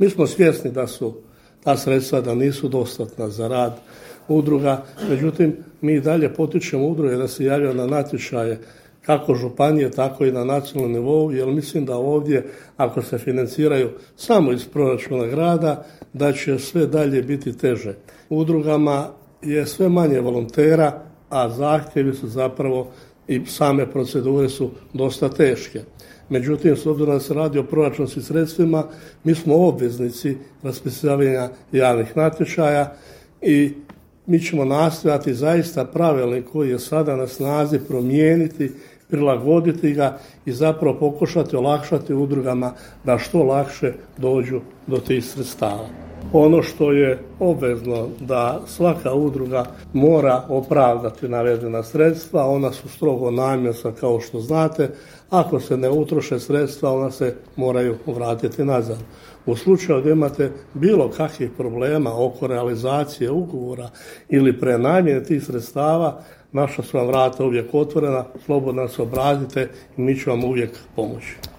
Mi smo svjesni da su ta sredstva da nisu dostatna za rad udruga, međutim mi i dalje potičemo udruge da se javljaju na natječaje kako županije, tako i na nacionalnom nivou, jer mislim da ovdje ako se financiraju samo iz proračuna grada, da će sve dalje biti teže. Udrugama je sve manje volontera, a zahtjevi su zapravo i same procedure su dosta teške. Međutim, s obzirom da se radi o proračunskim sredstvima, mi smo obveznici raspisivanja javnih natječaja i mi ćemo nastojati zaista pravilnik koji je sada na snazi promijeniti, prilagoditi ga i zapravo pokušati olakšati udrugama da što lakše dođu do tih sredstava. Ono što je obvezno da svaka udruga mora opravdati navedena sredstva, ona su strogo namjenska kao što znate, ako se ne utroše sredstva ona se moraju vratiti nazad. U slučaju da imate bilo kakvih problema oko realizacije ugovora ili prenamjene tih sredstava, naša su vam vrata uvijek otvorena, slobodno se obratite i mi ćemo vam uvijek pomoći.